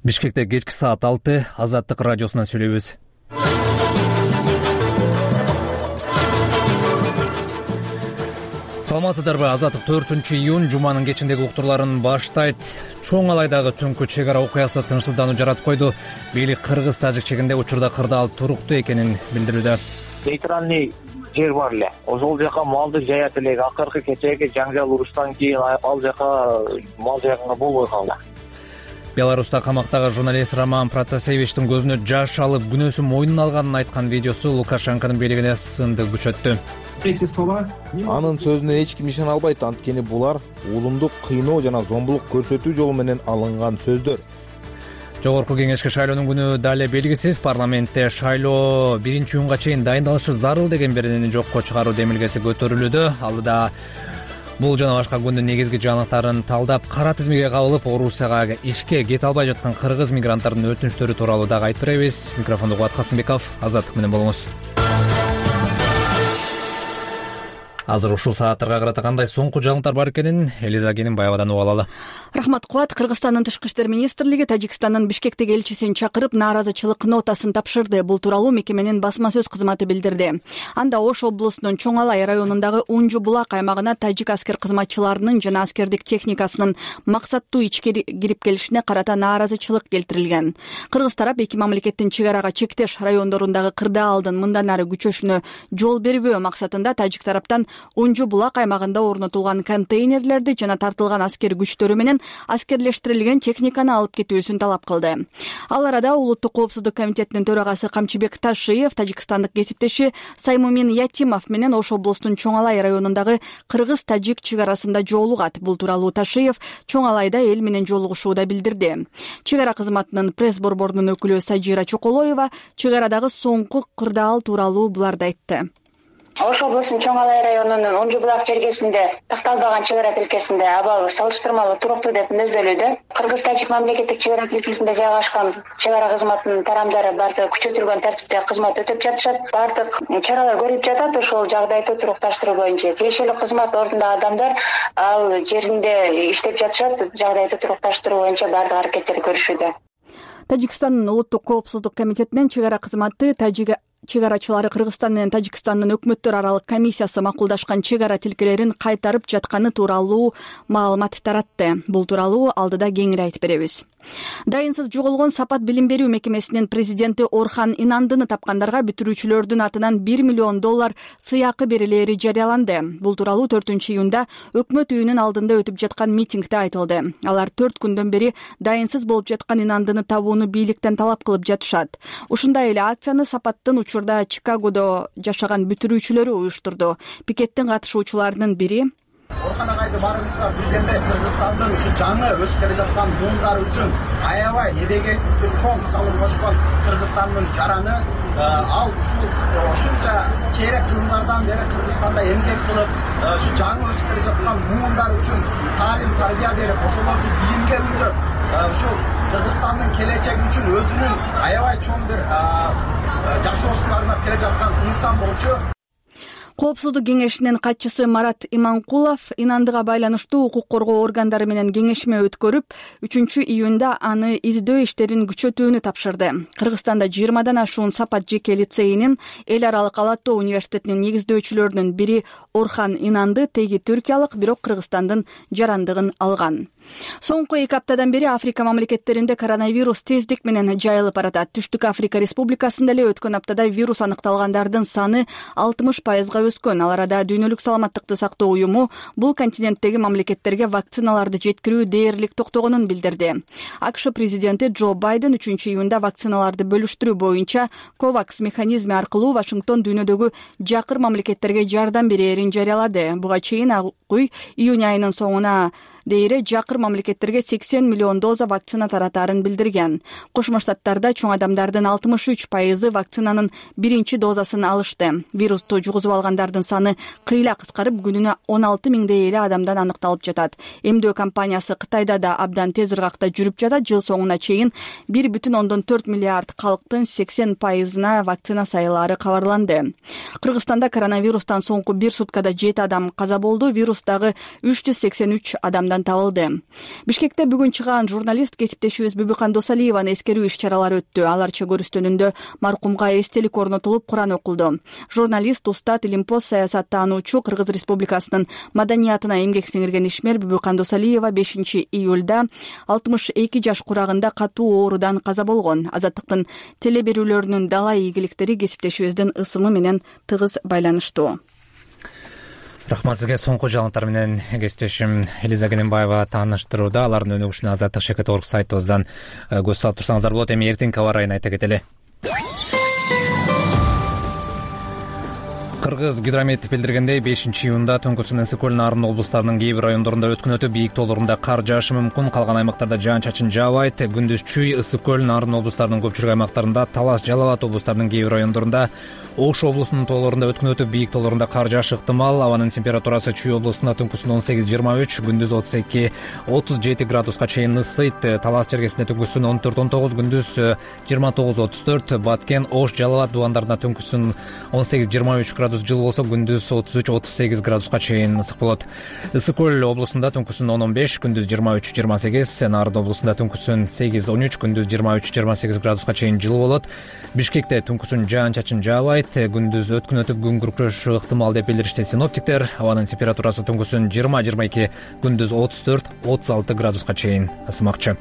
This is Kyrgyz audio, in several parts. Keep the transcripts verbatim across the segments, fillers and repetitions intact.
Бишкекте кечки саат алты, Азаттык радиосунан сүйлөйбүз. Саламатсыздарбы? Азаттык төртүнчү июнь жуманын кечиндеги уктурларын баштайт. Чоң Алайдагы түнкү чек ара окуясы тынчсыздануу жаратып койду. Бийлик кыргыз-тажик чегинде учурда кырдаал туруктуу экенин билдирүүдө. Нейтральный жер бар эле. Ошол жака малды жаят элек. Акыркы кечээги жаңжал уруштан кийин ал жака мал жайганга болбой калды. Беларуста камактагы журналист Роман Протасевичтин көзүнө жаш алып күнөөсүн мойнуна алганын айткан видеосу Лукашенконун бийлигине сынды күчөттү. Эти слова анын сөзүнө эч ким ишене албайт, анткени булар улумду кыйноо жана зомбулук көрсөтүү жолу менен алынган сөздөр. Жогорку кеңешке шайлоонун күнү дале белгисиз. Парламентте шайлоо биринчи июнга чейин дайындалышы зарыл деген беренени жокко чыгаруу демилгеси көтөрүлүүдө. Алдыда бул жана башка күндүн негизги жаңылыктарын талдап, кара тизмеге кабылып, Орусияга ишке кете албай жаткан кыргыз мигранттардын өтүнүчтөрү тууралуу дагы айтып беребиз. Микрофонду Кубат Касымбеков, Азаттык менен болуңуз. Азыр ушул сааттарга карата кандай соңку жаңылыктар бар экенин Элиза Кененбаевадан угуп алалы. Рахмат, Кубат. Кыргызстандын тышкы иштер министрлиги Тажикстандын Бишкектеги элчисин чакырып, нааразычылык нотасын тапшырды. Бул тууралуу мекеменин басма сөз кызматы билдирди. Анда Ош облусунун Чоң Алай районундагы Унжу булак аймагына тажик аскер кызматчыларынын жана аскердик техникасынын максаттуу ичке кирип келишине карата нааразычылык келтирилген. Кыргыз тарап эки мамлекеттин чек арага чектеш райондорундагы кырдаалдын мындан ары күчөшүнө жол бербөө максатында тажик тараптан Унжу булак аймагында орнотулган контейнерлерди жана тартылган аскер күчтөрү менен аскерлештирилген техниканы алып кетүүсүн талап кылды. Ал арада Улуттук коопсуздук комитетинин төрагасы Камчыбек Ташиев тажикстандык кесиптеши Саймумин Ятимов менен Ош облусунун Чоң Алай районундагы кыргыз-тажик чек арасында жолугат. Бул тууралуу Ташиев Чоң Алайда эл менен жолугушууда билдирди. Чек ара кызматынын пресс-борборунун өкүлү Сажира Чоколоева чек арадагы соңку кырдаал тууралуу буларды айтты. Ош облусунун Чоң Алай районунун Унжу булак жергесинде такталбаган чек ара тилкесинде абал салыштырмалуу туруктуу деп мүнөздөлүүдө. Кыргыз-тажик мамлекеттик чек ара тилкесинде жайгашкан чек ара кызматынын тарамдары бардыгы күчөтүлгөн тартипте кызмат өтөп жатышат. Бардык чаралар көрүлүп жатат. Ошол жагдайды турукташтыруу боюнча тиешелүү кызмат ордундагы адамдар ал жеринде иштеп жатышат. Жагдайды турукташтыруу боюнча бардык аракеттерди көрүшүүдө. Тажикстандын Улуттук коопсуздук комитетинин чек ара кызматы тажик чек арачылары Кыргызстан менен Тажикстандын өкмөттөр аралык комиссиясы макулдашкан чек ара тилкелерин кайтарып жатканы тууралуу маалымат таратты. Бул тууралуу алдыда кеңири айтып беребиз. Дайынсыз жоголгон Сапат билим берүү мекемесинин президенти Орхан Инандыны тапкандарга бүтүрүүчүлөрдүн атынан бир миллион доллар сыйакы берилери жарыяланды. Бул тууралуу төртүнчү июнда өкмөт үйүнүн алдында өтүп жаткан митингде айтылды. Алар төрт күндөн бери дайынсыз болуп жаткан Инандыны табууну бийликтен талап кылып жатышат. Ушундай эле акцияны Сапаттын учурда Чикагодо жашаган бүтүрүүчүлөрү уюштурду. Пикеттин катышуучуларынын бири Орхан агайды барыңыздар билгенде Кыргызстандын ушу жаңы өсүп келе жаткан буундар үчүн аябай эбегейсиз бир чоң салым кошкон Кыргызстандын жараны ал ушул ушунча керек кылымдардан бери Кыргызстанда эмгек кылып ушу жаңы өсүп келе жаткан буундар үчүн таалим тарбия берип ошолорду билимге үндөп ушул Кыргызстандын келечеги үчүн өзүнүн аябай чоң бир жашоосун арнап келе жаткан инсан болчу. Коопсуздук кеңешинин катчысы Марат Иманкулов Инандыга байланыштуу укук коргоо органдары менен кеңешме өткөрүп, үчүнчү июнда аны издөө иштерин күчөтүүнү тапшырды. Кыргызстанда жыйырмадан ашуун Сапат жеке лицейинин эл аралык Ала Тоо университетинин негиздөөчүлөрүнүн бири Орхан Инанды теги түркиялык, бирок Кыргызстандын жарандыгын алган. Соңку эки аптадан бери Африка мамлекеттеринде коронавирус тездик менен жайылып баратат. Түштүк Африка Республикасында эле өткөн аптада вирус аныкталгандардын саны алтымыш пайызга өскөн. Ал арада Дүйнөлүк саламаттыкты сактоо уюму бул континенттеги мамлекеттерге вакциналарды жеткирүү дээрлик токтогонун билдирди. АКШ президенти Джо Байден үчүнчү июнда вакциналарды бөлүштүрүү боюнча ковакс механизми аркылуу Вашингтон дүйнөдөгү жакыр мамлекеттерге жардам берээрин жарыялады. Буга чейин Ак Уй июнь айынын соңуна дейре жакыр мамлекеттерге сексен миллион доза вакцина таратаарын билдирген. Кошмо Штаттарда чоң адамдардын алтымыш үч пайызы вакцинанын биринчи дозасын алышты. Вирусту жугузуп алгандардын саны кыйла кыскарып, күнүнө он алты миңдей эле адамдан аныкталып жатат. Эмдөө компаниясы Кытайда да абдан тез ыргакта жүрүп жатат. Жыл соңуна чейин бир бүтүн ондон төрт миллиард калктын сексен пайызына вакцина сайылаары кабарланды. Кыргызстанда коронавирустан соңку бир суткада жети адам каза болду. Вирус дагы үч жүз сексен үч адамдан калыбынан табылды. Бишкекте бүгүн чыган журналист кесиптешибиз Бүбүкан Досалиеваны эскерүү иш чаралары өттү. Алар чөгөрүстөнүндө маркумга эстелик орнотулуп, Куран окулду. Журналист, устат, илимпоз, саясаттаануучу, Кыргыз Республикасынын маданиятына эмгек сиңирген ишмер Бүбүкан Досалиева бешинчи июлда алтымыш эки жаш курагында катуу оорудан каза болгон. Азаттыктын теле берүүлөрүнүн дала ийгиликтери кесиптешибиздин ысымы менен тыгыз байланыштуу. Рахмат сизге. Соңку жаңылыктар менен кесиптешим Элиза Кененбаева тааныштырууда. Алардын өнүгүшүнө Азаттык Шекет орг сайтыбыздан көз салып турсаңыздар болот. Эми эртеңки аба ырайын айта кетели. Кыргыз гидромет билдиргендей, бешинчи июнда Төңкүсүн Ысык көл Нарын облустарынын кээ бир райондорунда өткөн өтүп, бийик тоолорунда кар жаашы мүмкүн. Калган аймактарда жаан-чачын жаабайт. Күндүз Чүй, Ысык көл, Нарын облустарынын көпчүлүк аймактарында, Талас, Жалал Абад облустарынын кээ бир райондорунда, Ош облусунун тоолорунда өткөн өтүп, бийик тоолорунда кар жаашы ыктымал. Абанын температурасы Чүй облусунда түнкүсүн он сегиз жыйырма үч, күндүз отуз эки отуз жети градуска чейин ысыйт. Талас жергесинде түнкүсүн он төрт он тогуз, күндүз жыйырма тогуз отуз төрт. Баткен, Ош, Жалал Абад дубандарында түнкүсүн он сегиз жыйырма үч градус жылы болсо, күндүз отуз үч отуз сегиз градуска чейин ысык болот. Ысык көл облусунда түнкүсүн он он беш, күндүз жыйырма үч жыйырма сегиз. Нарын облусунда түнкүсүн сегиз он үч, күндүз жыйырма үч жыйырма сегиз градуска чейин жылы болот. Бишкекте түнкүсүн жаан-чачын жаабайт. Күндүз өткөн өтүп күн күркүрөшү ыктымал деп билдиришти синоптиктер. Абанын температурасы түнкүсүн жыйырма жыйырма эки, күндүз отуз төрт отуз алты градуска чейин ысымакчы.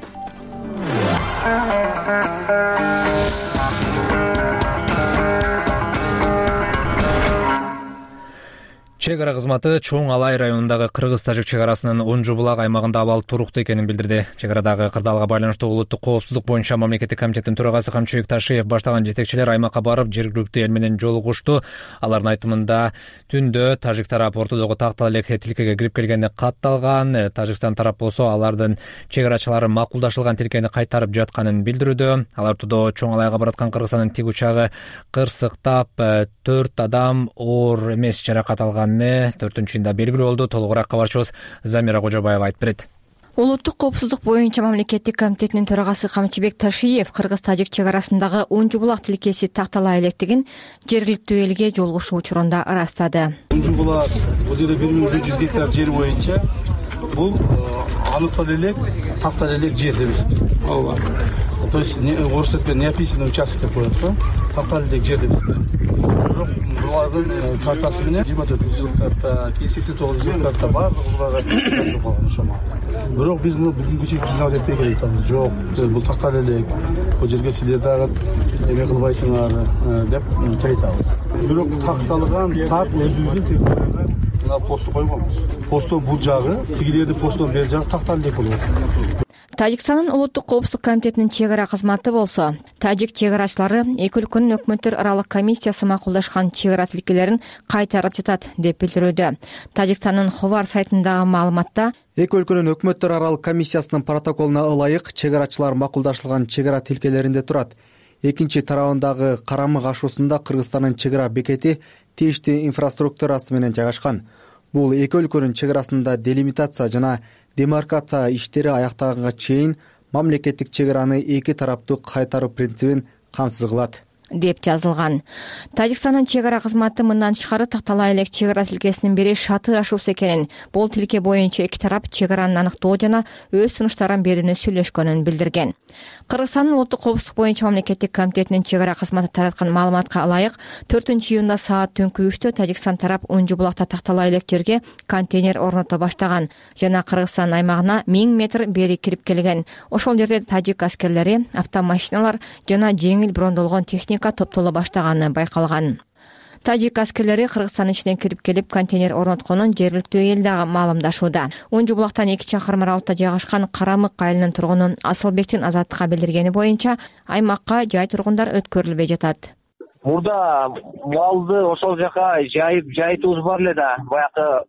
Чек ара кызматы Чоң Алай районундагы кыргыз-тажик чек арасынын Унжу булак аймагында абал туруктуу экенин билдирди. Чек арадагы кырдаалга байланыштуу улуттук коопсуздук боюнча мамлекеттик комитеттин төрагасы Камчыбек Ташиев баштаган жетекчилер аймакка барып, жергиликтүү эл менен жолугушту. Алардын айтымында түндө тажик тарап ортодогу тактал элек тилкеге кирип келгени катталган. Тажикстан тарап болсо алардын чек арачылары макулдашылган тилкени кайтарып жатканын билдирүүдө. Ал ортодо Чоң Алайга бараткан Кыргызстандын тик учагы кырсыктап, төрт адам оор эмес жаракат алган. төртүнчү июнда белгилүү болду. Толугураак кабарчыбыз Замира Кожобаева айтып берет. Улуттук коопсуздук боюнча мамлекеттик комитетинин төрагасы Камчыбек Ташиев кыргыз-тажик чек арасындагы Унжу булак тилкеси тактала электигин жергиликтүү элге жолугушуу учурунда ырастады. Унжу булак бул жерде бир миң беш жүз гектар жер боюнча бул аныктал элек, тактал элек жер деп эсептелет. Ооба. То есть орус тилинде не описанный участок деп коет го, тактал элек жер деп эсептелет. Бирок булардын картасы менен жыйырма төрт жыл карта, сексен тогуз жыл карта баардыгы буларга болгон ошомо. Бирок биз муну бүгүнкү чейин признавать этпей келатабыз. Жок, бул тактал элек, бул жерге силер дагы эме кылбайсыңар деп айтабыз. Бирок такталган так өзүбүздүн территорияга мына посту койгонбуз. Посту бул жагы, тигилердин постунун бери жагы тактал элек болот. Тажикстандын улуттук коопсуздук комитетинин чек ара кызматы болсо, тажик чек арачылары эки өлкөнүн өкмөттөр аралык комиссиясы макулдашкан чек ара тилкелерин кайтарып жатат деп билдирүүдө. Тажикстандын Ховар сайтындагы маалыматта эки өлкөнүн өкмөттөр аралык комиссиясынын протоколуна ылайык чек арачылар макулдашылган чек ара тилкелеринде турат. Экинчи тарабындагы Карамык ашуусунда Кыргызстандын чек ара бекети тийиштүү инфраструктурасы менен жайгашкан. Бул эки өлкөнүн чек арасында делимитация жана демаркация иштери аяктаганга чейин мамлекеттик чек араны эки тараптуу кайтаруу принцибин камсыз кылат деп жазылган. Тажикстандын чек ара кызматы мындан тышкары тактала элек чек ара тилкесинин бири Шаты ашуусу экенин, бул тилке боюнча эки тарап чек араны аныктоо жана өз сунуштарын берүүнү сүйлөшкөнүн билдирген. Кыргызстандын улуттук коопсуздук боюнча мамлекеттик комитетинин чек ара кызматы тараткан маалыматка ылайык төртүнчү июнда саат түнкү үчтө Тажикстан тарап Унжу булакта тактала элек жерге контейнер орното баштаган жана Кыргызстан аймагына миң метр бери кирип келген. Ошол жерде тажик аскерлери, автомашиналар жана жеңил брондолгон техника топтоло баштаганы байкалган. Тажик аскерлери Кыргызстан ичинен кирип келип контейнер орнотконун жергиликтүү эл дагы маалымдашууда. Унжу булактан эки чакырым аралыкта жайгашкан Карамык айылынын тургуну Асылбектин Азаттыкка билдиргени боюнча аймакка жай тургундар өткөрүлбөй жатат. Мурда малды ошол жака жайып жайытуубуз бар эле да, баягы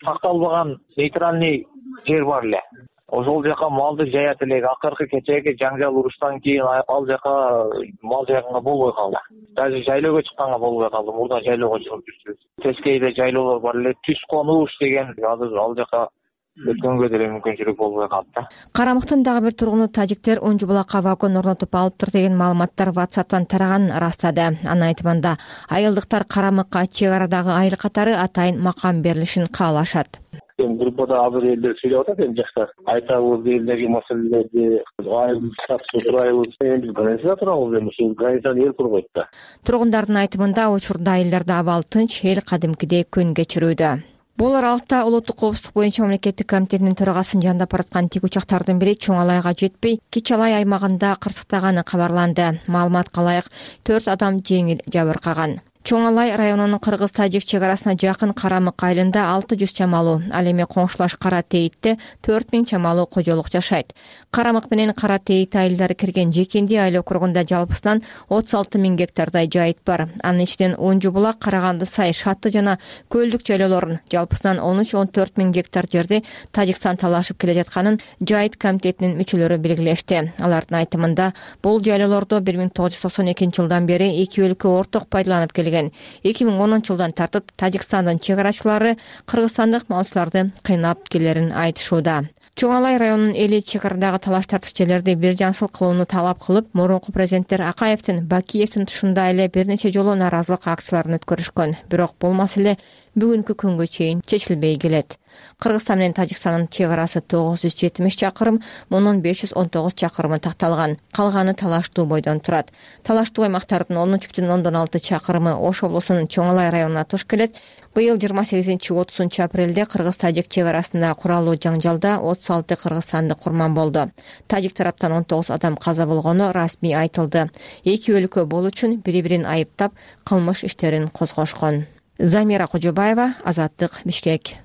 такталбаган нейтральный жер бар эле. Ошол жака малды жаят элек. Акыркы кечээги жаңжал уруштан кийин ал жака мал жайганга болбой калды. Даже жайлоого чыкканга болбой калды. Мурда жайлоого чыгып жүрчүбүз. Тескейде жайлоолор бар эле. Түз конуш деген азыр ал жака өткөнгө деле мүмкүнчүлүк болбой калды. Карамыктын дагы бир тургуну тажиктер Унжу булакка вагон орнотуп алыптыр деген маалыматтар WhatsApp'тан тараганын ырастады. Анын айтымында айылдыктар Карамыкка чек арадагы айыл катары атайын макам берилишин каалашат. эми группада азыр элдер сүйлөп атат, эми жаштар айтабыз элдеги маселелерди, айыл статусу турайбыз. Эми биз границада турабыз, эми ушул границаны эл кургойт да. Тургундардын айтымында учурда айылдарда абал тынч, эл кадимкидей күн кечирүүдө. Бул аралыкта улуттук коопсуздук боюнча мамлекеттик комитетинин төрагасын жандап бараткан тик учактардын бири Чоң Алайга жетпей, Кич Алай аймагында кырсыктаганы кабарланды. Маалыматка ылайык, төрт адам жеңил жабыркаган. Чоң Алай районунун кыргыз-тажик чек арасына жакын Карамык айылында алты жүз чамалуу, ал эми коңшулаш Кара Тейитте төрт миң чамалуу кожолук жашайт. Карамык менен Кара Тейит айылдары кирген Жекенди айыл округунда жалпысынан отуз алты миң гектардай жайыт бар. Анын ичинен Онжу булак, Караганды сай, Шатты жана Көлдүк жайлоолорун жалпысынан он үч он төрт миң гектар жерди Тажикстан талашып келе жатканын жайыт комитетинин мүчөлөрү белгилешти. Алардын айтымында бул жайлоолорду бир миң тогуз жүз токсон экинчи жылдан бери эки өлкө орток пайдаланып келген. эки миң онунчу жылдан тартып Тажикстандын чек арачылары кыргызстандык малчыларды кыйнап келерин айтышууда. Чоң Алай районунун эли чек арадагы талаш тартыш жерлерди бир жансыл кылууну талап кылып, мурунку президенттер Акаевдин, Бакиевдин тушунда эле бир нече жолу нааразылык акцияларын өткөрүшкөн. Бирок бул маселе бүгүнкү күнгө чейин чечилбей келет. Кыргызстан менен Тажикстандын чек арасы тогуз жүз жетимиш чакырым, мунун беш жүз он тогуз чакырымы такталган. Калганы талаштуу бойдон турат. Талаштуу аймактардын он үч бүтүн ондон алты чакырымы Ош облусунун Чоң Алай районуна туш келет. Быйыл жыйырма сегизинчи отузунчу апрелде кыргыз-тажик чек арасында куралуу жаңжалда отуз алты кыргызстандык курман болду. Тажик тараптан он тогуз адам каза болгону расмий айтылды. Эки өлкө бул үчүн бири-бирин айыптап, кылмыш иштерин козгошкон. Замира Кожобаева, Азаттык, Бишкек.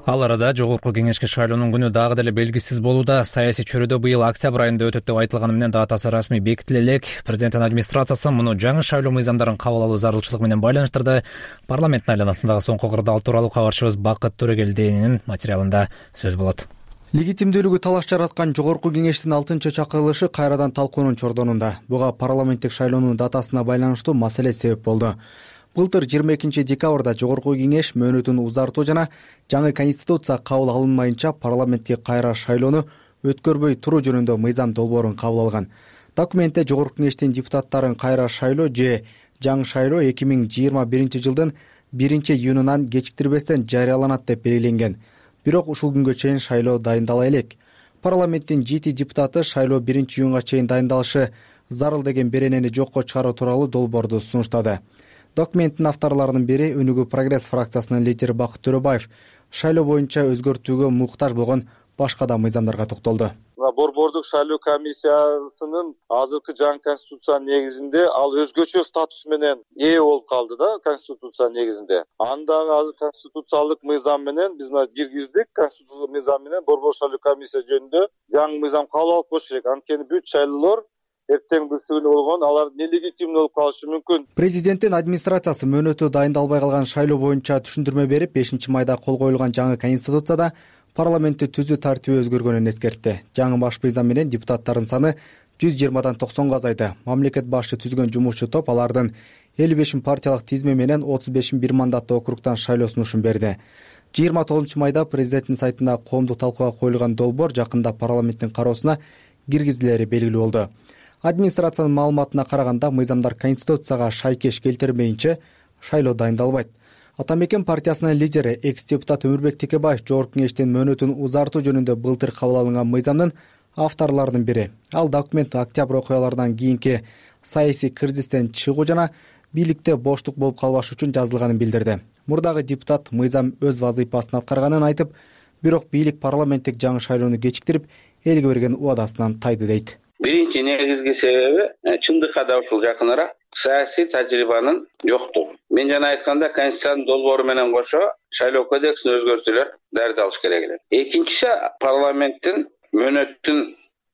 Ал арада жогорку кеңешке шайлоонун күнү дагы деле белгисиз болууда. Саясий чөйрөдө быйыл октябрь айында өтөт деп айтылганы менен датасы расмий бекитиле элек. Президенттин администрациясы муну жаңы шайлоо мыйзамдарын кабыл алуу зарылчылыгы менен байланыштырды. Парламенттин айланасындагы соңку кырдаал тууралуу кабарчыбыз Бакыт Төрөгелдинин материалында сөз болот. Легитимдүүлүгү талаш жараткан жогорку кеңештин алтынчы чакырылышы кайрадан талкуунун чордонунда. Буга парламенттик шайлоонун датасына байланыштуу маселе себеп болду. Былтыр жыйырма экинчи декабрда жогорку кеңеш мөөнөтүн узартуу жана жаңы конституция кабыл алынмайынча парламентке кайра шайлоону өткөрбөй туруу жөнүндө мыйзам долбоорун кабыл алган. Документте жогорку кеңештин депутаттарын кайра шайлоо же жаңы шайлоо эки миң жыйырма биринчи жылдын биринчи июнунан кечиктирбестен жарыяланат деп белгиленген. Бирок ушул күнгө чейин шайлоо дайындала элек. Парламенттин жети депутаты шайлоо биринчи июнга чейин дайындалышы зарыл деген беренени жокко чыгаруу тууралуу долбоорду сунуштады. Документтин авторлорунун бири Өнүгүү Прогресс фракциясынын лидери Бакыт Төрөбаев шайлоо боюнча өзгөртүүгө муктаж болгон башка да мыйзамдарга токтолду. Борбордук шайлоо комиссиясынын азыркы жаңы конституциянын негизинде ал өзгөчө статус менен ээ болуп калды да, конституциянын негизинде. Андагы азыр конституциялык мыйзам менен биз мына киргиздик, конституциялык мыйзам менен борбор шайлоо комиссия жөнүндө жаңы мыйзам кабыл алып коюш керек. Анткени бүт шайлоолор эртең бүрсүгүнө болгон, алар нелегитимдүү болуп калышы мүмкүн. Президенттин администрациясы мөөнөтү дайындалбай калган шайлоо боюнча түшүндүрмө берип, бешинчи майда кол коюлган жаңы конституцияда парламентти түзүү тартиби өзгөргөнүн эскертти. Жаңы баш мыйзам менен депутаттардын саны жүз жыйырмадан токсонго азайды. Мамлекет башы түзгөн жумушчу топ алардын элүү бешин партиялык тизме менен отуз бешин бир мандаттуу округтан шайлоо сунушун берди. жыйырма тогузунчу майда президенттин сайтында коомдук талкууга коюлган долбоор жакында парламенттин кароосуна киргизилери белгилүү болду. Администрациянын маалыматына караганда, мыйзамдар конституцияга шайкеш келтирмейинче шайлоо дайындалбайт. Атамекен партиясынын лидери экс-депутат Өмүрбек Текебаев жогорку кеңештин мөөнөтүн узартуу жөнүндө былтыр кабыл алынган мыйзамдын авторлорунун бири. Ал документ октябрь окуяларынан кийинки саясий кризистен чыгуу жана бийликте боштук болуп калбаш үчүн жазылганын билдирди. Мурдагы депутат мыйзам өз вазыйпасын аткарганын айтып, бирок бийлик парламенттик жаңы шайлоону кечиктирип, элге берген убадасынан тайды дейт. Биринчи негизги себеби чындыкка да ушул жакыныраак саясий тажрыйбанын жоктугу. Мен жана айтканда конституциянын долбоору менен кошо шайлоо кодексин өзгөртүүлөр даярдалыш керек эле. Экинчиси парламенттин мөөнөттүн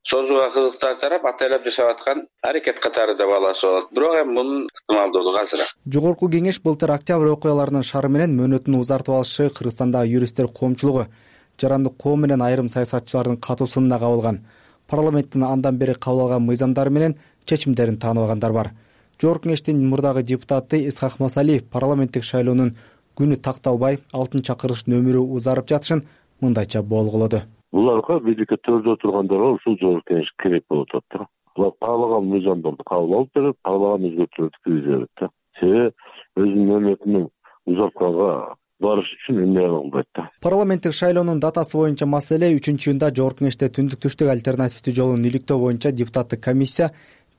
созууга кызыктар тарап атайлап жашап аткан аракет катары да баласы болот. Бирок эми мунун ыктымалдуулугу азыраак. Жогорку кеңеш былтыр октябрь окуяларынын шары менен мөөнөтүн узартып алышы Кыргызстандагы юристтер коомчулугу, жарандык коом менен айрым саясатчылардын катуусуна кабылган. Парламенттин андан бери кабыл алган мыйзамдары менен чечимдерин тааныбагандар бар. Жогорку кеңештин мурдагы депутаты Исхак Масалиев парламенттик шайлоонун күнү такталбай, алтын чакырылыштын өмүрү узарып жатышын мындайча болгулоду. Буларга бийликке төрдө тургандарга ушул жогорку кеңеш керек болуп атат да. каалаган мыйзамдарды кабыл алып берет, каалаган өзгөртүүлөрдү киргизе берет да. Себеби өзүнүн мамлекетинин узатканга барыш үчүн эмне кылбайт да. Парламенттик шайлоонун датасы боюнча маселе үчүнчү июнда Жогорку Кеңеште түндүк түштүк альтернативдүү жолун иликтөө боюнча депутаттык комиссия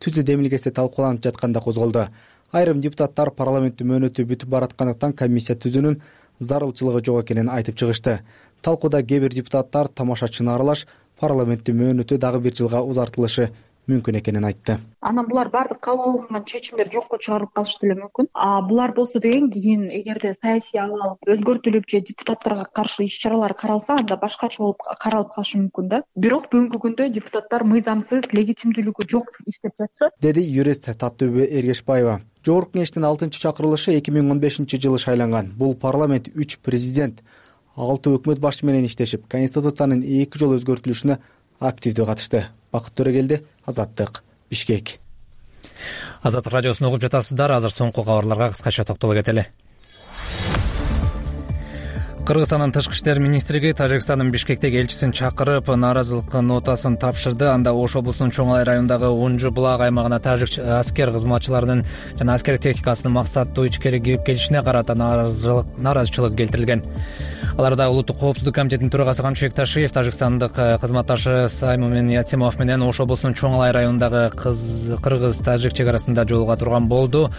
түзүү демилгеси талкууланып жатканда козголду. Айрым депутаттар парламенттин мөөнөтү бүтүп бараткандыктан комиссия түзүүнүн зарылчылыгы жок экенин айтып чыгышты. Талкууда кээ бир депутаттар тамашачыны аралаш парламенттин мөөнөтү дагы бир жылга узартылышы мүмкүн экенин айтты. Анан булар баардык кабыл алынган чечимдер жокко чыгарылып калышы деле мүмкүн. А булар болсо деген кийин эгерде саясий абал өзгөртүлүп же депутаттарга каршы иш чаралар каралса, анда башкача болуп каралып калышы мүмкүн да. Бирок бүгүнкү күндө депутаттар мыйзамсыз, легитимдүүлүгү жок иштеп жатышат, деди юрист Таттыбү Эргешбаева. Жогорку Кеңештин алтынчы чакырылышы эки миң он бешинчи жылы шайланган. Бул парламент үч президент, алты өкмөт башы менен иштешип, конституциянын эки жолу өзгөртүлүшүнө активдүү катышты. Бакыт Төрөгелди, Азаттык, Бишкек. Азаттык радиосун угуп жатасыздар. Азыр соңку кабарларга кыскача токтоло кетели. Кыргызстандын тышкы иштер министрлиги Тажикстандын Бишкектеги элчисин чакырып, нааразылык нотасын тапшырды. Анда Ош облусунун Чоң Алай районундагы Унжу булак аймагына тажик аскер кызматчыларынын жана аскер техникасынын максаттуу ичкери кирип келишине карата нааразылык наразычылык келтирилген. Аларда улуттук коопсуздук комитетинин төрагасы Камчыбек Ташиев Тажикстандык кызматташы Саймумин Яцимов менен Ош облусунун Чоң Алай районундагы кыргыз-тажик чек арасында жолуга турган болду.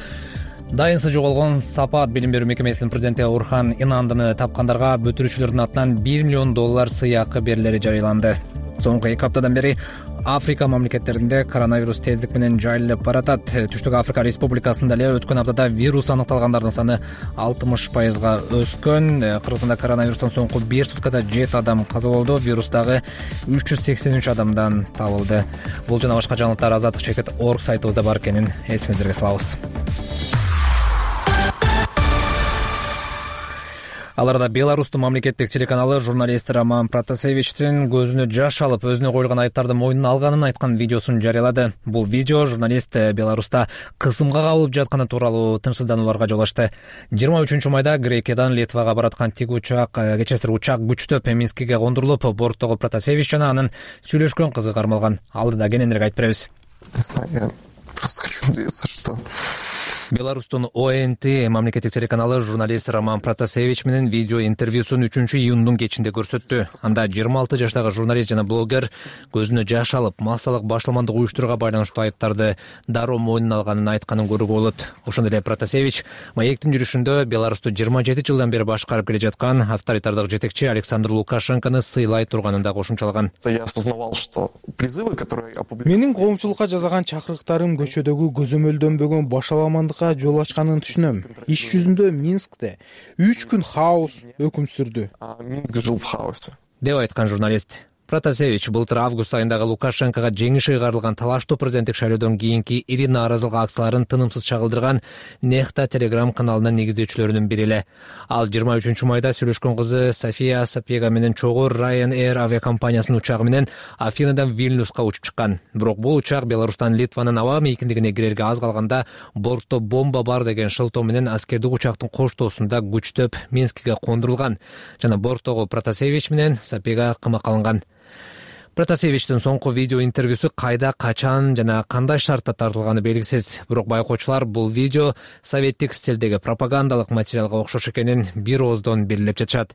Дайынсы жоголгон Сапат билим берүү мекемесинин президенти Урхан Инандыны тапкандарга бүтүрүүчүлөрдүн атынан бир миллион доллар сыйакы берилери жарыяланды. Соңку эки аптадан бери Африка мамлекеттеринде коронавирус тездик менен жайылып баратат. Түштүк Африка Республикасында эле өткөн аптада вирус аныкталгандардын саны алтымыш пайызга өскөн. Кыргызстанда коронавирустан соңку бир суткада жети адам каза болду. Вирус дагы үч жүз сексен үч адамдан табылды. Бул жана башка жаңылыктар азаттык чекит точка орг сайтыбызда бар экенин эсиңиздерге салабыз. Аларда Беларустун мамлекеттик телеканалы журналист Роман Протасевичтин көзүнө жаш алып, өзүнө коюлган айыптарды мойнуна алганын айткан видеосун жарыялады. Бул видео журналист Беларуста кысымга кабылып жатканы тууралуу тынчсызданууларга жол ачты. жыйырма үчүнчү майда Грекиядан Литвага бараткан тик учак, кечесир учак күчтөп Минскиге кондурулуп, борттогу Протасевич жана анын сүйлөшкөн кызы кармалган. Алдыда кененирээк айтып беребиз. Я просто хочу надеяться, что Беларустун О Н Т мамлекеттик телеканалы журналист Роман Протасевич менен видео интервьюсун үчүнчү июндун кечинде көрсөттү. Анда жыйырма алты жаштагы журналист жана блогер көзүнө жаш алып, массалык башламандык уюштурууга байланыштуу айыптарды дароо мойнуна алганын айтканын көрүүгө болот. Ошондой эле Протасевич маектин жүрүшүндө Беларусту жыйырма жети жылдан бери башкарып келе жаткан авторитардык жетекчи Александр Лукашенкону сыйлай турганын да кошумчалаган. Я осознавал, что призывы, которые Менин коомчулукка жасаган чакырыктарым көчөдөгү көзөмөлдөнбөгөн башаламандык жол ачканын түшүнөм. Иш жүзүндө Минскте үч күн хаос өкүм сүрдү. Минск жил в хаосе, деп айткан журналист. Протасевич былтыр август айындагы Лукашенкого жеңиши ыйгарылган талаштуу президенттик шайлоодон кийинки ири нааразылык акцияларын тынымсыз чагылдырган Нехта телеграм каналынын негиздөөчүлөрүнүн бири эле. Ал жыйырма үчүнчү майда сүйлөшкөн кызы София Сапега менен чогуу Ryanair авиакомпаниясынын учагы менен Афинадан Вильнюска учуп чыккан. Бирок бул учак Беларустан Литванын аба мейкиндигине кирерге аз калганда бортто бомба бар деген шылтоо менен аскердик учактын коштоосунда күчтөп Минскиге кондурулган жана борттогу Протасевич менен Сапега камакка алынган. Протасевичтин соңку видео интервьюсу кайда, качан жана кандай шартта тартылганы белгисиз. Бирок байкоочулар бул видео советтик стилдеги пропагандалык материалга окшош экенин бир ооздон белгилеп жатышат.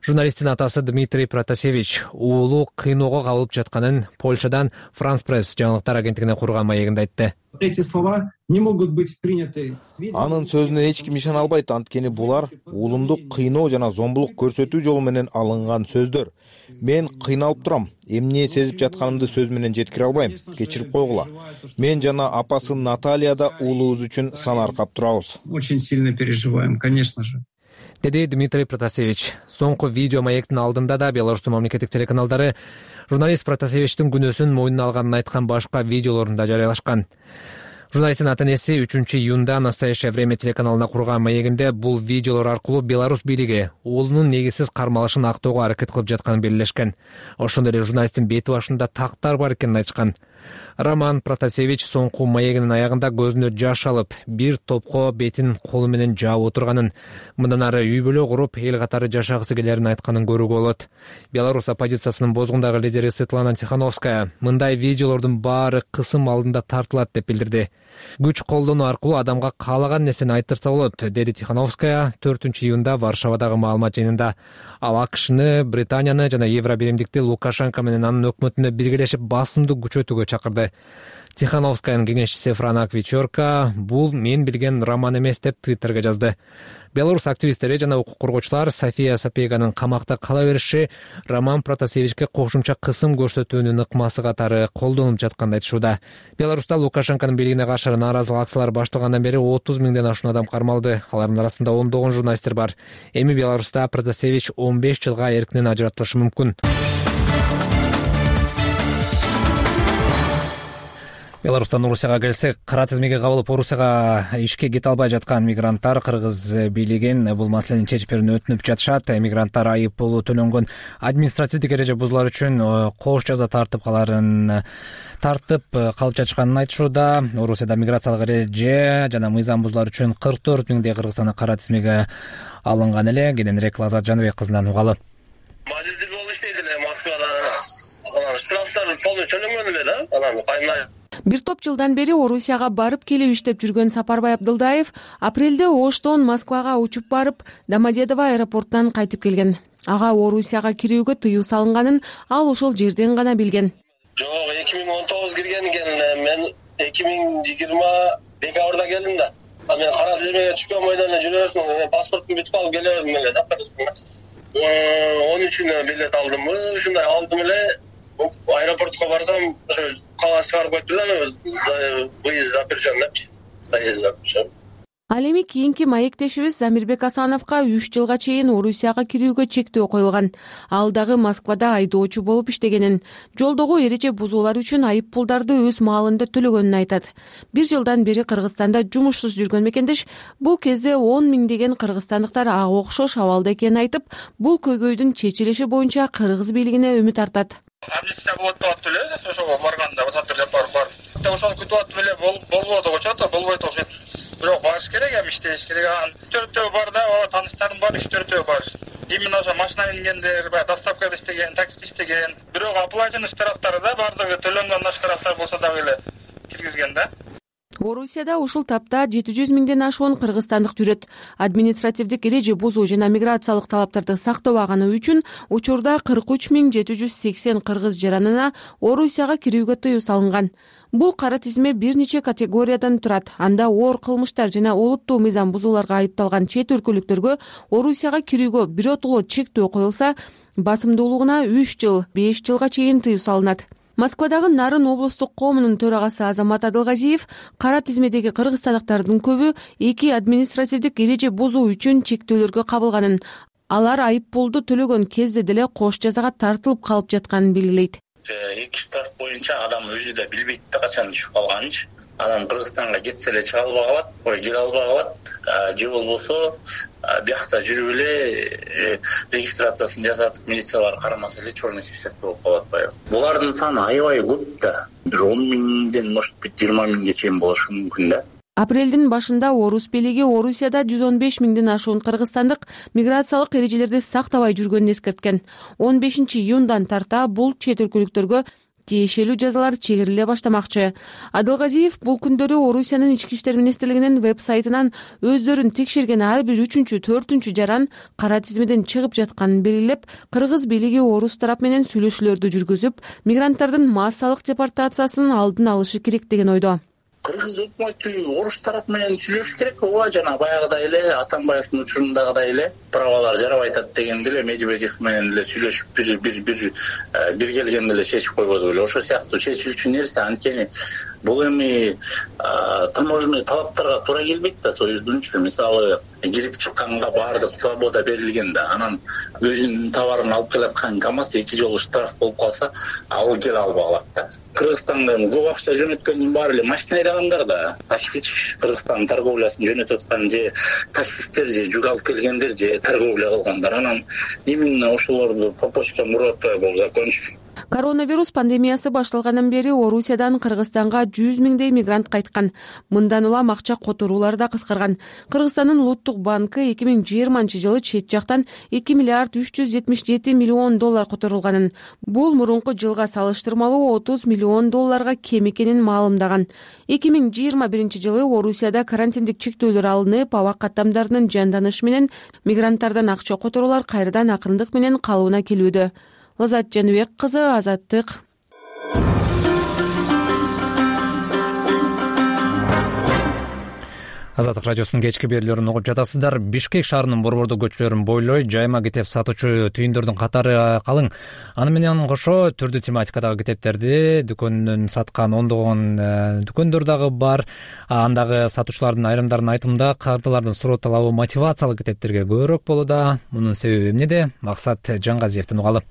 Журналисттин атасы Дмитрий Протасевич уулу кыйноого кабылып жатканын Польшадан Франс Пресс жаңылыктар агенттигине курган маегинде айтты. Эти слова не могут быть приняты к сведению. Анын сөзүнө эч ким ишене албайт, анткени булар уулумду кыйноо жана зомбулук көрсөтүү жолу менен алынган сөздөр. Мен кыйналып турам, эмне сезип жатканымды сөз менен жеткире албайм. Кечирип койгула. Мен жана апасы Наталья да уулубуз үчүн санаркап турабыз. Очень сильно переживаем, конечно же. Деди Дмитрий Протасевич. Соңку видео маектин алдында да Беларустун мамлекеттик телеканалдары журналист Протасевичтин күнөөсүн мойнуна алганын айткан башка видеолорун да жарыялашкан. Журналисттин ата-энеси үчүнчү июнда Настоящее время телеканалына курган маегинде бул видеолор аркылуу Беларусь бийлиги уулунун негизсиз кармалышын актоого аракет кылып жатканын белгилешкен. Ошондой эле журналисттин бети башында тактар бар экенин айтышкан. Роман Протасевич соңку маегинин аягында көзүнө жаш алып, бир топко бетин колу менен жаап отурганын, мындан ары үй бүлө куруп, эл катары жашагысы келерин айтканын көрүүгө болот. Беларусь оппозициясынын бозгундагы лидери Светлана Тихановская мындай видеолордун баары кысым алдында тартылат деп билдирди. Күч колдонуу аркылуу адамга каалаган нерсени айтырса болот, деди Тихановская төртүнчү июнда Варшавадагы маалымат жыйынында. Ал АКШны, Британияны жана Евробиримдикти Лукашенко менен анын өкмөтүнө биргелешип басымды күчөтүүгө чакырды. Тихановскаянын кеңешчиси Франак Вечерка бул мен билген роман эмес деп Твиттерге жазды. Беларусь активисттери жана укук коргоочулар София Сапеганын камакта кала бериши Роман Протасевичке кошумча кысым көрсөтүүнүн ыкмасы катары колдонулуп жатканын айтышууда. Беларусьта Лукашенконун бийлигине каршы нааразылык акциялар башталгандан бери отуз миңден ашуун адам кармалды. Алардын арасында ондогон журналисттер бар. Эми Беларусьта Протасевич он беш жылга эркинен ажыратылышы мүмкүн. Беларустан Орусияга келсек, кара тизмеге кабылып Орусияга ишке кете албай жаткан мигранттар кыргыз бийлигин бул маселени чечип берүүнү өтүнүп жатышат. Мигранттар айып пулу төлөнгөн административдик эреже бузулар үчүн кош жаза тартып каларын тартып калып жатышканын айтышууда. Орусияда миграциялык эреже жана мыйзам бузулар үчүн кырк төрт миңдей кыргызстандык кара тизмеге алынган эле. Кененирээк Лазат Жаныбек кызынан угалы. Мажидир болуп иштейт эле Москвада. Анан штрафтар полный төлөнгөн эле да. Анан кайнай Бир топ жылдан бери Орусияга барып келип иштеп жүргөн Сапарбай Абдылдаев апрелде Оштон Москвага учуп барып, Домодедово аэропортунан кайтып келген. Ага Орусияга кирүүгө тыюу салынганын ал ошол жерден гана билген. Жок, эки миң он тогуз кирген экен, мен эки миң жыйырма декабрда келдим да. Ал мен кара тизмеге түшкөн бойдон эле жүрө бердим, паспортумду бүтүп алып келе бердим эле да. он үчүнө билет алдым, ушундай алдым эле. Аэропортко барсам, ошо кала чыгарып коюпту да, выезд запрещен депчи. Заезд запрещен. Ал эми кийинки маектешибиз Замирбек Асановго үч жылга чейин Орусияга кирүүгө чектөө коюлган. Ал дагы Москвада айдоочу болуп иштегенин, жолдогу эреже бузуулар үчүн айып пулдарды өз маалында төлөгөнүн айтат. Бир жылдан бери Кыргызстанда жумушсуз жүргөн мекендеш бул кезде он миңдеген кыргызстандыктар ага окшош абалда экенин айтып, бул көйгөйдүн чечилиши боюнча кыргыз бийлигине үмүт артат. Амнистия болот деп аттым эле, ошого барганда Саттыр Жапаров бар. Ошону күтүп аттым эле, болбоду деп атат, болбойт окшойт. Бирок барыш керек, эми иштеш керек. Төртөө бар да, тааныштарым бар, үч төртөө бар. Именно ошо машина мингендер, баягы доставкада иштеген, таксиде иштеген. Бирок оплаченный штрафтары да бардыгы төлөнгөн штрафтар болсо дагы эле киргизген да. Орусияда ушул тапта жети жүз миңден ашуун кыргызстандык жүрөт. Административдик эреже бузуу жана миграциялык талаптарды сактабаганы үчүн учурда кырк үч миң жети жүз сексен кыргыз жаранына Орусияга кирүүгө тыюу салынган. Бул кара тизме бир нече категориядан турат. Анда оор кылмыштар жана олуттуу мыйзам бузууларга айыпталган чет өлкөлүктөргө Орусияга кирүүгө биротоло чектөө коюлса, басымдуулугуна үч жыл, беш жылга чейин тыюу салынат. Москвадагы Нарын облустук коомунун төрагасы Азамат Адылгазиев кара тизмедеги кыргызстандыктардын көбү эки административдик эреже бузуу үчүн чектөөлөргө кабылганын, алар айып пулду төлөгөн кезде деле кош жазага тартылып калып жатканын белгилейт. Эки штраф боюнча адам өзү да билбейт да качан түшүп калганынчы. Анан Кыргызстанга кетсе эле чыга албай калат, ой келе албай калат. Же болбосо биякта жүрүп эле регистрациясын жасатып, милициялар карамаса эле черный список болуп калат баягы. Булардын саны аябай көп да. Бир он миңден, может быть, жыйырма миңге чейин болушу мүмкүн да. Апрелдин башында Орус бийлиги Орусияда жүз он беш миңден ашуун кыргызстандык миграциялык эрежелерди сактабай жүргөнүн эскерткен. он бешинчи июндан тарта бул чет өлкөлүктөргө тиешелүү жазалар чегериле баштамакчы. Адылгазиев бул күндөрү Орусиянын ички иштер министрлигинин веб-сайтынан өздөрүн текшерген ар бир үчүнчү, төртүнчү жаран кара тизмеден чыгып жатканын белгилеп, кыргыз бийлиги орус тарап менен сүйлөшүүлөрдү жүргүзүп, мигранттардын массалык депортациясын алдын алышы керек деген ойдо. Кыргыз өкмөтү орус тарап менен сүйлөшүш керек, ооба, жана баягыдай эле Атамбаевдин учурундагыдай эле правалар жарабай атат дегенде эле Медведев менен эле сүйлөшүп бир бир бир бир келгенде эле чечип койбоду беле. Ошол сыяктуу чечүүчү нерсе, анткени бул эми таможенный талаптарга туура келбейт да, союздунчу. Мисалы, кирип чыкканга баардык свобода берилген да, анан өзүнүн товарын алып келаткан КамАЗ эки жолу штраф болуп калса, ал келе албай калат да. Кыргызстанда көп акча жөнөткөндүн баары эле машина айдагандар да. Ташкич Кыргызстан торговлясын жөнөтүп аткан же таксисттер же жүк алып келгендер же торговля кылгандар. Анан именно ошолорду по почтам урап атпай бул закончу. Коронавирус пандемиясы башталгандан бери Орусиядан Кыргызстанга жүз миңдей мигрант кайткан. Мындан улам акча которуулар да кыскарган. Кыргызстандын улуттук банкы эки миң жыйырманчы жылы чет жактан эки миллиард үч жүз жетимиш жети миллион доллар которулганын. Бул мурунку жылга салыштырмалуу отуз миллион долларга кем экенин маалымдаган. эки миң жыйырма биринчи жылы Орусияда карантиндик чектөөлөр алынып, аба каттамдарынын жанданышы менен мигранттардан акча которуулар кайрадан акырындык менен калыбына келүүдө. Лазат Жаныбек кызы, Азаттык. Азаттык радиосунун кечки берүүлөрүн угуп жатасыздар. Бишкек шаарынын борбордук көчөлөрүн бойлой жайма китеп сатуучу түйүндөрдүн катары калың. Аны менен кошо түрдүү тематикадагы китептерди дүкөндөн саткан ондогон дүкөндөр дагы бар. Андагы сатуучулардын айрымдарынын айтымында кардалардын суроо талабы мотивациялык китептерге көбүрөөк болууда. Мунун себеби эмнеде? Максат Жангазиевдин угалы.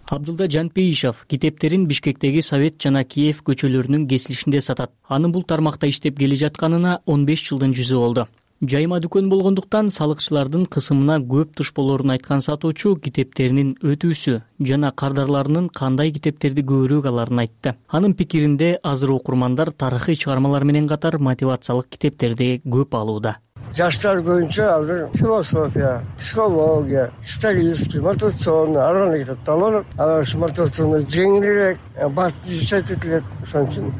Абдулда Жанпейишов китептерин Бишкектеги Совет жана Киев көчөлөрүнүн кесилишинде сатат. Анын бул тармакта иштеп келе жатканына он беш жылдын жүзү болду. Жайма дүкөн болгондуктан салыкчылардын кысымына көп туш болоорун айткан сатуучу китептеринин өтүүсү жана кардарларынын кандай китептерди көбүрөөк аларын айтты. Анын пикиринде азыр окурмандар тарыхый чыгармалар менен катар мотивациялык китептерди көп алууда. Жаштар көбүнчө азыр философия, психология, исторический, мотивационный арган китепти алып, алар ушу мотивационный жеңилирээк, бакытты жашайт этилет. Ошон үчүн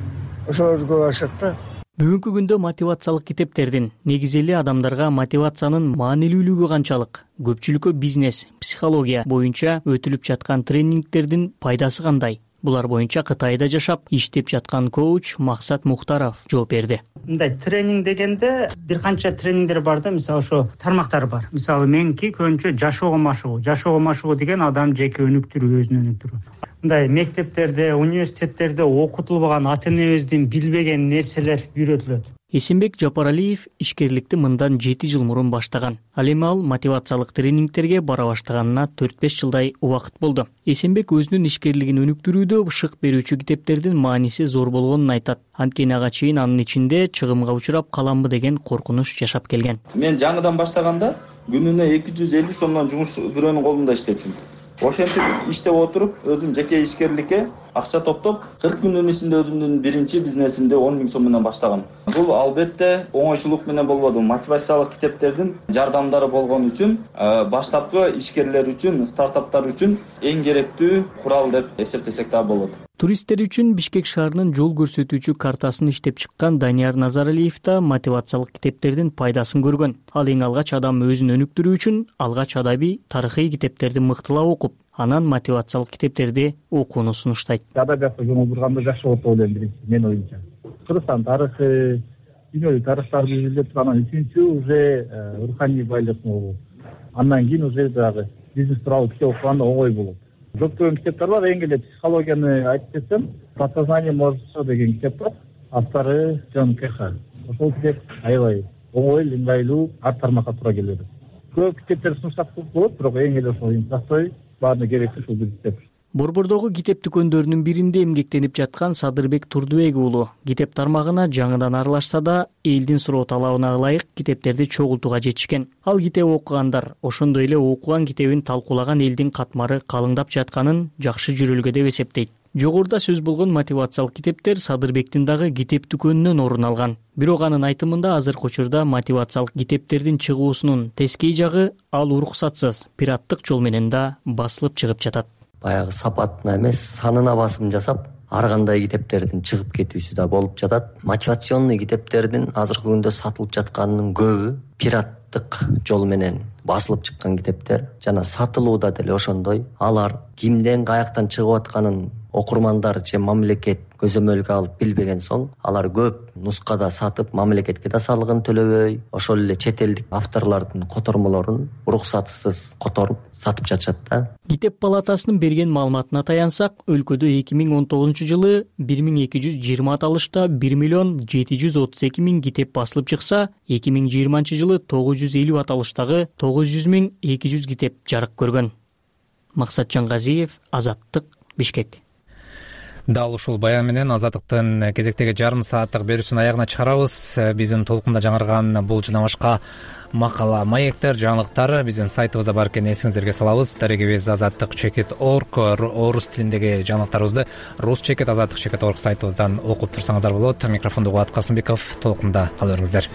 ошолорду көп алышат да. Бүгүнкү күндө мотивациялык китептердин, негизи эле адамдарга мотивациянын маанилүүлүгү канчалык, көпчүлүккө бизнес, психология боюнча өтүлүп жаткан тренингтердин пайдасы кандай? Булар боюнча Кытайда жашап, иштеп жаткан коуч Максат Мухтаров жооп берди. Мындай тренинг дегенде бир канча тренингдер бар да, мисалы ошо тармактар бар. Мисалы меники көбүнчө жашоого машыгуу. Жашоого машыгуу деген адам жеке өнүктүрүү, өзүн өнүктүрүү. Мындай мектептерде, университеттерде окутулбаган, ата-энебиздин билбеген нерселер үйрөтүлөт. Эсенбек Жапаралиев ишкерликти мындан жети жыл мурун баштаган. Ал эми ал мотивациялык тренингтерге бара баштаганына төрт беш жылдай убакыт болду. Эсенбек өзүнүн ишкерлигин өнүктүрүүдө шык берүүчү китептердин мааниси зор болгонун айтат. Анткени ага чейин анын ичинде чыгымга учурап каламбы деген коркунуч жашап келген. Мен жаңыдан баштаганда күнүнө эки жүз элүү сомдон жумуш бирөөнүн колунда иштечүмүн. Ошентип иштеп отуруп, өзүм жеке ишкерликке акча топтоп, кырк күндүн ичинде өзүмдүн биринчи бизнесимди он миң сом менен баштагам. Бул албетте оңойчулук менен болбоду. Мотивациялык китептердин жардамдары болгон үчүн баштапкы ишкерлер үчүн, стартаптар үчүн эң керектүү курал деп эсептесек да болот. Туристтер үчүн Бишкек шаарынын жол көрсөтүүчү картасын иштеп чыккан Данияр Назаралиев да мотивациялык китептердин пайдасын көргөн. Ал эң алгач адам өзүн өнүктүрүү үчүн алгач адаби тарыхый китептерди мыктылап окуп, анан мотивациялык китептерди окууну сунуштайт. Адабиятка жомолдурганда жакшы болот деп ойлойм, биринчи мен оюмча. Кыргызстан тарыхы, дүйнөлүк тарыхтарды изилдеп, анан үчүнчү уже руханий байлык болот. Андан кийин уже дагы бизнес тууралуу китеп окуганда оңой болот. Көптөгөн китептер бар, эң эле психологияны айтып кетсем, «Подсознание мозга» деген китеп бар. Автору Джон Кеха. Ошол китеп аябай оңой, ыңгайлуу, ар тармакка туура келет. Көп китептер сунуштап болот, бирок эң эле ошол простой, баарына керектүү ушул бир китеп. Борбордогу китеп дүкөндөрүнүн биринде эмгектенип жаткан Садырбек Турдубек уулу китеп тармагына жаңыдан аралашса да, элдин суроо талабына ылайык китептерди чогултууга жетишкен. Ал китеп окугандар, ошондой эле окуган китебин талкуулаган элдин катмары калыңдап жатканын жакшы жүрөлгө деп эсептейт. Жогоруда сөз болгон мотивациялык китептер Садырбектин дагы китеп дүкөнүнөн орун алган. Бирок анын айтымында азыркы учурда мотивациялык китептердин чыгуусунун тескей жагы ал уруксатсыз, пираттык жол менен да басылып чыгып жатат. Баягы сапатына эмес, санына басым жасап, ар кандай китептердин чыгып кетүүсү да болуп жатат. Мотивационный китептердин азыркы күндө сатылып жатканынын көбү пираттык жол менен басылып чыккан китептер жана сатылууда деле ошондой. Алар кимден каяктан чыгып атканын окурмандар же мамлекет көзөмөлгө алып билбеген соң, алар көп нускада сатып, мамлекетке да салыгын төлөбөй, ошол эле чет элдик авторлордун котормолорун уруксатсыз которуп сатып жатышат да. Китеп палатасынын берген маалыматына таянсак, өлкөдө эки миң он тогузунчу жылы бир миң эки жүз жыйырма аталышта бир миллион жети жүз отуз эки миң китеп басылып чыкса, эки миң жыйырманчы жылы тогуз жүз элүү аталыштагы тогуз жүз миң эки жүз китеп жарык көргөн. Максат Жангазиев, Азаттык, Бишкек. Дал ушул баян менен Азаттыктын кезектеги жарым сааттык берүүсүн аягына чыгарабыз. Биздин толкунда жаңырган бул жана башка макала, маектер, жаңылыктар биздин сайтыбызда бар экенин эсиңиздерге салабыз. Дарегибиз азаттык чекит орг орус тилиндеги жаңылыктарыбызды рус чекит азаттык чекит орг сайтыбыздан окуп турсаңыздар болот. Микрофондо Кубат Касымбеков, толкунда кала бериңиздер.